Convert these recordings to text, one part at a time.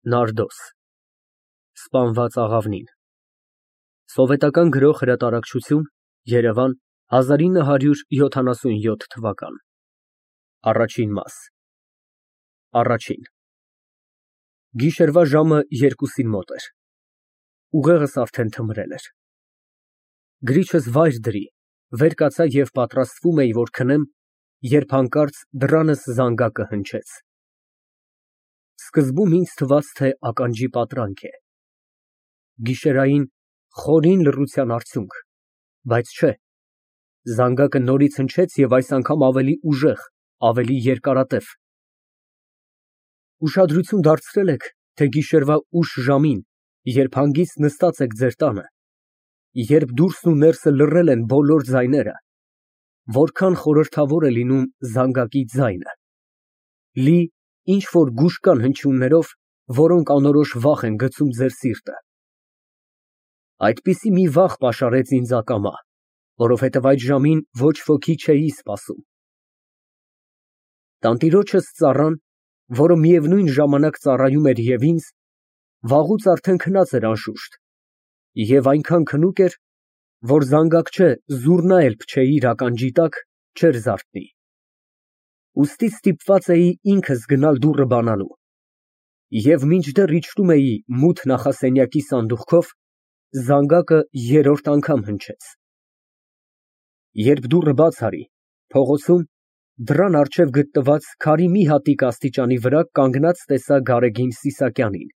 ՆԱՐԴՈՍ Սպանված աղավնին Սովետական Գրող հրատարակչություն, Երևան 1977 Առաջին մաս Գիշերվա ժամը 2-ին մոտ էր, ուղեղս արդեն թմրել էր, գրիչս վայր դրի, վեր կացա և պատրաստվում էի, որ քնեմ, երբ հանկարծ դռանս զանգակը հնչեց, սկզբում ինձ թվաց, թե ականջի պատրանք է, գիշերային խորին լռության արդյունք, բայց չէ, զանգակը նորից հնչեց և այս անգամ ավելի ուժեղ, ավելի երկարատև, ուշադրություն դարձրել եք, թե գիշերվա ուշ ժամին, երբ հանգիստ նստած եք ձեր տանը, երբ դուրսն ու ներսը լռել են բոլոր ձայները, որքան խորհրդավոր է լինում զանգակի ձայնը, լի ինչ-որ գուշկան հնչյուններով, որոնք անորոշ վախ են գցում ձեր սիրտը, այդպիսի մի վախ պաշարեց ինձ ակամա, որովհետև այդ ժամին ոչ ոքի չէի սպասում, տանտիրոջս ծառան, որը միևնույն ժամանակ ծառայում էր և ինձ, վաղուց արդեն քնած էր անշուշտ և այնքան քնուկ էր, որ զանգակ չէ, զուռնա էլ փչեի իր ականջի տակ, չէր զարթնի, ուստի ստիպված էի ինքս գնալ դուռը բանալու և մինչդեռ իջնում էի մութ նախասենյակի սանդուղքով, զանգակը երրորդ անգամ հնչեց, երբ դուռը բաց արի, փողոցում, դռան առջև գտնված քարի մի հատիկ աստիճանի վրա կանգնած տեսա Գարեգին Սիսակյանին,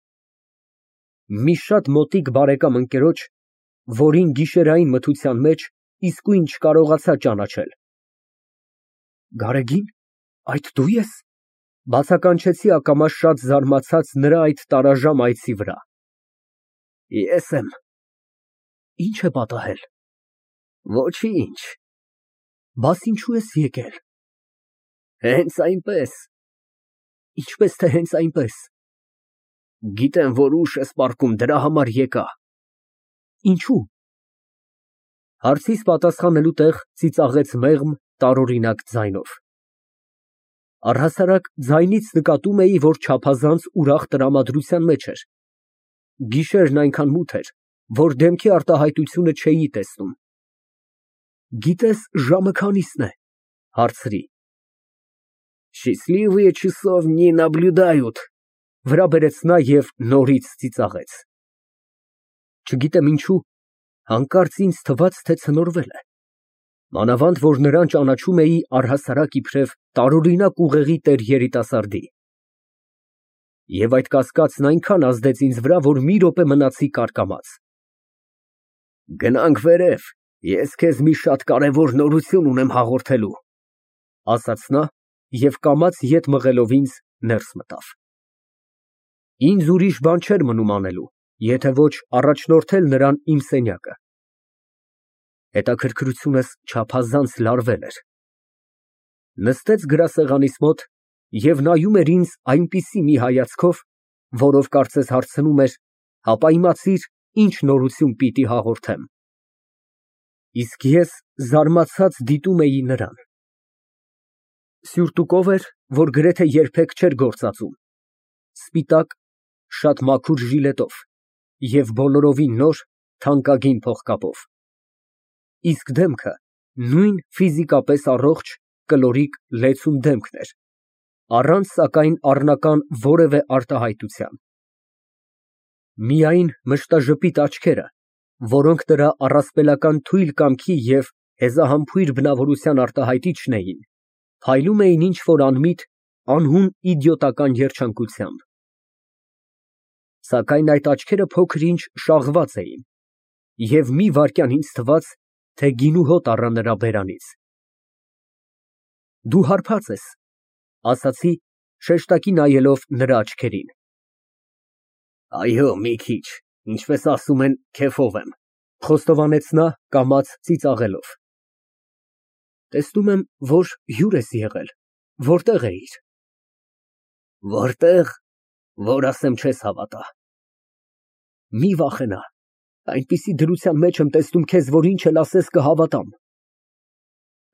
մի շատ մոտիկ բարեկամ ընկերոջ, որին գիշերային մթության մեջ իսկույն չկարողացա ճանաչել։ Գարեգի՞ն, այդ դու ես, բացականչեցի ակամա շատ զարմացած նրա այդ տարաժամ այցի վրա։ Ես եմ։ Ի՞նչ է պատահել։ Ոչինչ։ Բաս ինչու ես եկել։ Հենց այնպես։ Ինչպես թե հենց այնպես։ Գիտեմ, որ ուշ ես պառկում, դրա համար եկա։ Ինչու։ Հարցիս պատասխանելու տեղ ծիծաղեց մեղմ, տարօրինակ ձայնով։ Առհասարակ ձայնից նկատում էի, որ չափազանց ուրախ տրամադրության մեջ էր։ Գիշերն այնքան մութ էր, որ դեմքի արտահայտությունը չէի տեսնում։ Գիտես ժամը քանիսն է, հարցրի։ Счастливые часов не наблюдают, վրա բերեց նա և նորից ծիծաղեց։ Չգիտեմ ինչու, հանկարծ ինձ թվաց, թե ցնորվել է։ Մանավանդ, որ նրան ճանաչում էի առհասարակ իբրև տարօրինակ ուղեղի տեր երիտասարդի։ Եվ այդ կասկածն այնքան ազդեց ինձ վրա, որ մի րոպե մնացի կարկամած։ Գնանք վերև, ես քեզ մի շատ կարևոր նորություն ունեմ հաղորդելու, ասաց նա և կամաց ետ մղելով ինձ ներս մտավ։ Ինձ ուրիշ բան չէր մնում անելու, եթե ոչ առաջնորդել նրան իմ սենյակը։ Հետաքրքրությունս չափազանց լարվել էր։ Նստեց գրասեղանիս մոտ և նայում էր ինձ այնպիսի մի հայացքով, որով կարծես հարցնում էր, հապա իմացիր, ինչ նորություն պիտի հաղորդեմ։ Իսկ ես զարմացած դիտում էի նրան։ Սյուրտուկով էր, որ գրեթե երբեք չէր գործածում, սպիտակ, շատ մաքուր ժիլետով և բոլորովին նոր, թանկագին փողկապով, իսկ դեմքը նույն ֆիզիկապես առողջ, կլորիկ, լեցուն դեմքն էր, առանց սակայն առնական որևէ արտահայտության։ Միայն մշտաժպիտ աչքերը, որոնք նրա առասպելական թույլ կամքի և հեզահամբույր բնավորության արտահայտիչն էին, փայլում էին ինչ֊որ անմիտ, անհուն իդիոտական երջանկությամբ։ Սակայն այդ աչքերը փոքր-ինչ շաղված էին, և մի վայրկյան ինձ թվաց, թե գինու հոտ առա նրա բերանից։ Դու հարբած ես, ասացի, շեշտակի նայելով նրա աչքերին։ Այո, մի քիչ, ինչպես ասում են, քեֆով եմ, խոստովանեց նա կամաց ծիծաղելով։ Տեսնում եմ, որ հյուր ես եղել, որտեղ էիր։ Որտեղ, որ ասեմ չես հավատա։ Մի վախենա, այնպիսի դրության մեջ եմ տեսնում քեզ, որ ինչ էլ ասես կհավատամ։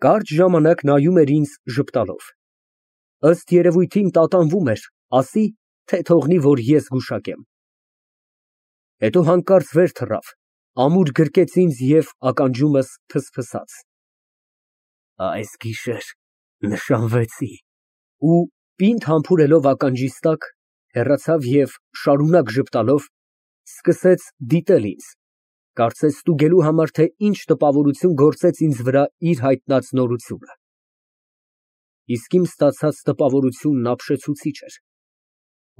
Կարճ ժամանակ նայում էր ինձ ժպտալով։ Ըստ երևույթին տատանվում էր, ասի, թե թողնի, որ ես գուշակեմ։ Հետո հանկարծ վեր թռավ, ամուր գրկեց ինձ և ականջումս ֆսֆսաց. Այս գիշեր նշանվեցի։ Ու պինդ համբուրելով ականջիս տակ, հեռացավ և շարունակ ժպտալով սկսեց դիտել ինձ, կարծես ստուգելու համար, թե ինչ տպավորություն գործեց ինձ վրա իր հայտնած նորությունը։ Իսկ իմ ստացած տպավորությունն ապշեցուցիչ էր,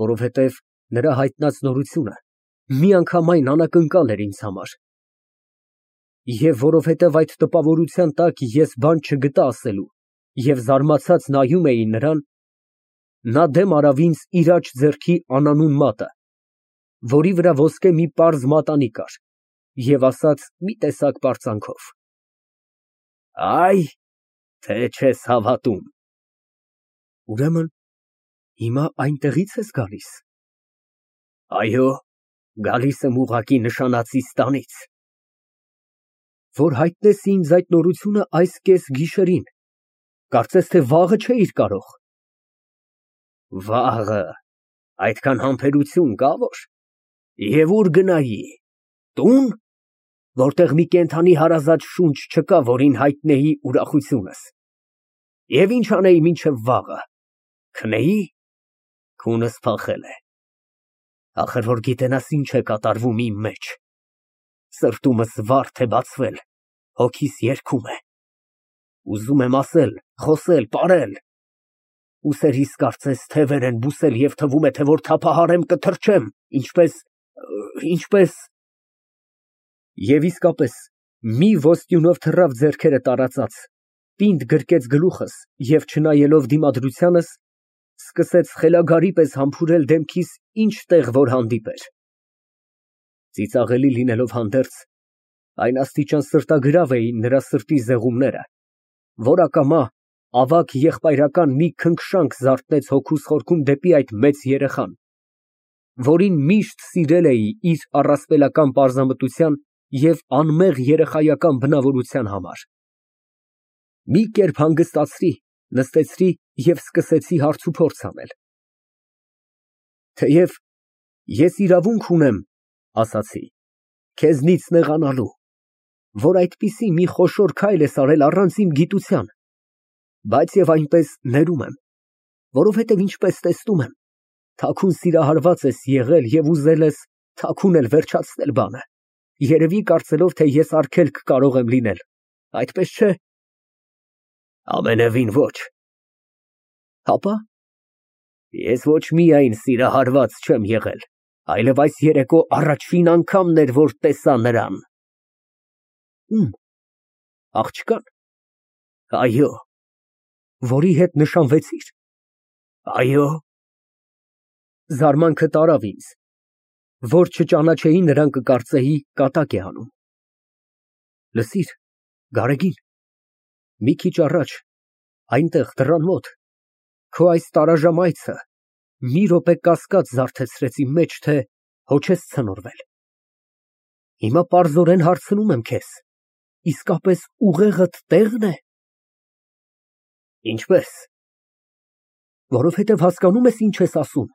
որովհետև նրա հայտնած նորությունը միանգամայն անակնկալ էր ինձ համար։ Եվ որովհետև այդ տպավորության տակ ես բան չգտա ասելու և զարմացած նայում էի նրան, նա դեմ արավ ինձ իր աջ ձեռքի անանուն մատը, որի վրա ոսկե մի պարզ մատանի կար, և ասաց մի տեսակ պարծանքով. Այ, թե չես հավատում։ Ուրեմն հիմա այնտեղի՞ց ես գալիս։ Այո, գալիս եմ ուղղակի նշանածիս տանից։ Որ հայտնես ինձ այդ նորությունը այս կեսգիշերին, կարծես թե վաղը չէիր կարող։ Վաղը, այդքան համբերություն կա որ։ Եվ ուր գնայի, տուն, որտեղ մի կենդանի հարազատ շունչ չկա, որին հայտնեի ուրախությունս։ Եվ ինչ անեի մինչև վաղը, քնեի, քունս փախել է։ Ախր որ գիտենաս ինչ է կատարվում իմ մեջ, սրտումս վարդ է բացվել, հոգիս երգում է։ Ուզում եմ ասել, խոսել, պարել, ուսերիս կարծես թևեր են բուսել և թվում է, թե որ թափահարեմ կթռչեմ, ինչպես… Եվ իսկապես, մի ոսկյունով թռավ ձեռքերը տարածած, պինդ գրկեց գլուխս և չնայելով դիմադրությանս, սկսեց խելագարի պես համբուրել դեմքիս ինչ տեղ որ հանդիպեր։ Ծիծաղելի լինելով հանդերձ, այն աստիճան սրտագրավ էին նրա սրտի զեղումները, որ ակամա ավագ եղբայրական մի քնքշանք զարթնեց հոգուս խորքում դեպի այդ մեծ երեխան, որին միշտ սիրել էի իր առասպելական պարզամտության և անմեղ երեխայական բնավորության համար։ Մի կերպ հանգստացրի, նստեցրի և սկսեցի հարցուփորձ անել։ Թեև ես իրավունք ունեմ, ասացի, քեզնից նեղանալու, որ այդպիսի մի խոշոր քայլ ես արել առանց իմ գիտության, բայց և այնպես ներում եմ, որովհետև ինչպես տեսնում եմ, թաքուն սիրահարված ես եղել և ուզել ես թաքուն էլ վերջացնել բանը, երևի կարծելով, թե ես արգելք կարող եմ լինել, այդպես չէ։ Ամենևին ոչ։ Հապա։ Ես ոչ միայն սիրահարված չեմ եղել, այլև այս երեկո առաջին անգամն էր, որ տեսա նրան։ Ում։ Աղջկա՞ն։ Այո։ Որի հետ նշանվեցիր։ Այո։ Զարմանքը տարավ ինձ, որ չճանաչեի նրան կկարծեի կատակ է անում։ Լսիր, Գարեգին, մի քիչ առաջ, այնտեղ դռան մոտ, քո այս տարաժամայցը մի րոպե կասկած զարթեցրեց իմ մեջ, թե հո չես ցնորվել։ Հիմա պարզորեն հարցնում եմ քեզ, իսկապես ուղեղդ տեղ՞ն է։ Ինչպես։ Որովհետև հասկանո՞ւմ ես ինչ ես ասում։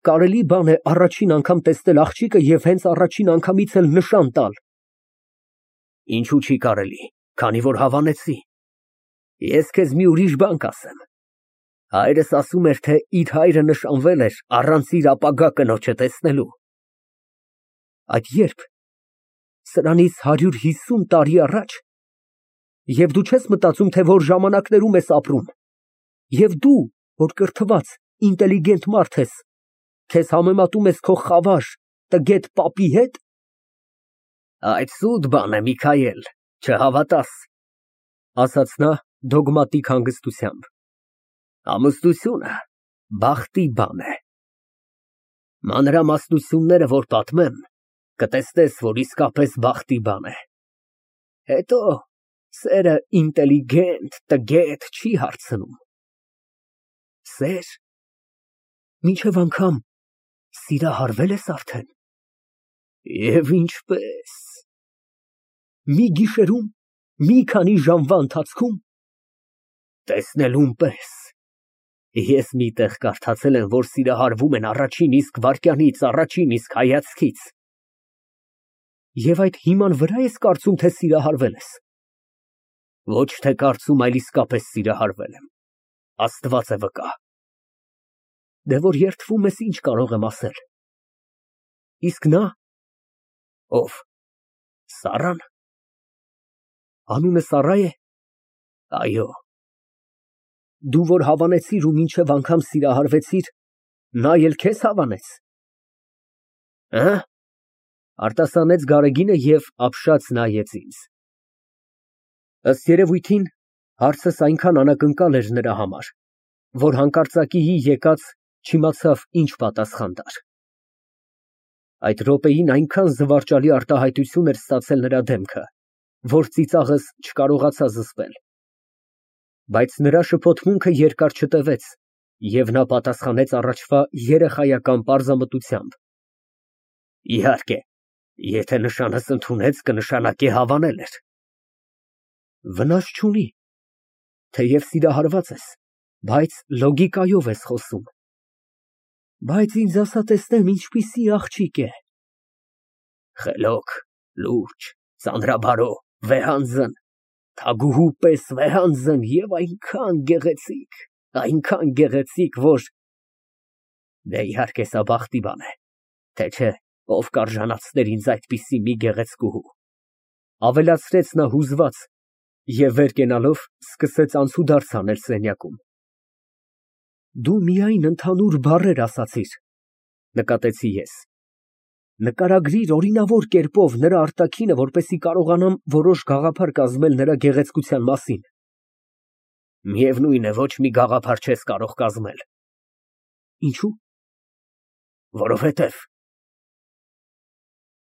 Կարելի բան է առաջին անգամ տեսնել աղջիկը և հենց առաջին անգամից էլ նշան տալ։ Ինչու չի կարելի, քանի որ հավանեցի։ Ես քեզ մի ուրիշ բան կասեմ։ Հայրս ասում էր, թե իր հայրը նշանվել էր առանց իր ապագա կնոջը տեսնելու։ Այդ ե՞րբ։ Սրանից 150 տարի առաջ։ Եվ դու չես մտածում, թե որ ժամանակներում ես ապրում։ Եվ դու, որ կրթված, ինտելիգենտ մարդ ես, քեզ համեմատում ես քո խավար, տգետ պապի հետ։ Այդ սուտ բան է, Միքայել, չհավատաս, ասաց նա դոգմատիկ հանգստությամբ։ Ամուսնությունը բախտի բան է։ Մանրամասնությունները, որ պատմեմ, կտեսնես, որ իսկապես բախտի բան է։ Հետո սերը ինտելիգենտ, տգետ չի հարցնում։ Սեր։ Մինչև անգամ սիրահարվե՞լ ես արդեն։ Եվ ինչպես։ Մի գիշերում, մի քանի ժամվա ընթացքում։ Տեսնելուն պես։ Ես մի տեղ կարդացել եմ, որ սիրահարվում են առաջին իսկ վայրկյանից, առաջին իսկ հայացքից։ Եվ այդ հիման վրա ես կարծում, թե սիրահարվել ես։ Ոչ թե կարծում, այլ իսկապես սիրահարվել եմ։ Աստված է վկա։ Դե որ երդվում ես, ինչ կարող եմ ասել։ Իսկ նա։ Ով։ Սառան։ Անունը Սառա է։ Այո։ Դու որ հավանեցիր ու մինչև անգամ սիրահարվեցիր, նա էլ քեզ հավանեց։ Հը՞։ Արտասանեց Գարեգինը և ապշած նայեց ինձ։ Ըստ երևույթին, հարցս այնքան անակնկալ էր նրա համար, որ հանկարծակիի եկած չիմացավ ինչ պատասխան տար։ Այդ րոպեին այնքան զվարճալի արտահայտություն էր ստացել նրա դեմքը, որ ծիծաղս չկարողացա զսպել։ Բայց նրա շփոթմունքը երկար չտևեց, և նա պատասխանեց առաջվա երեխայական պարզամտությամբ. Իհարկե, եթե նշանս ընդունեց, կնշանակե հավանել էր։ Վնաս չունի, թեև սիրահարված ես, բայց լոգիկայով ես խոսում։ Բայց ինձ ասա տեսնեմ, ինչպիսի աղջիկ է։ Խելոք, լուրջ, ծանրաբարո, վեհանձն, թագուհու պես վեհանձն և այնքան գեղեցիկ, որ… Դե իհարկե սա բախտի բան է, թե չէ, ով կարժանացներ ինձ այդպիսի մի գեղեցկուհու, ավելացրեց նա հուզված և վեր կենալով սկսեց անցուդարձ անել սենյակում։ Դու միայն ընդհանուր բառեր ասացիր, նկատեցի ես։ Նկարագրիր օրինավոր կերպով նրա արտաքինը, որպեսզի կարողանամ որոշ գաղափար կազմել նրա գեղեցկության մասին։ Միևնույն է, ոչ մի գաղափար չես կարող կազմել։ Ինչո՞ւ։ Որովհետև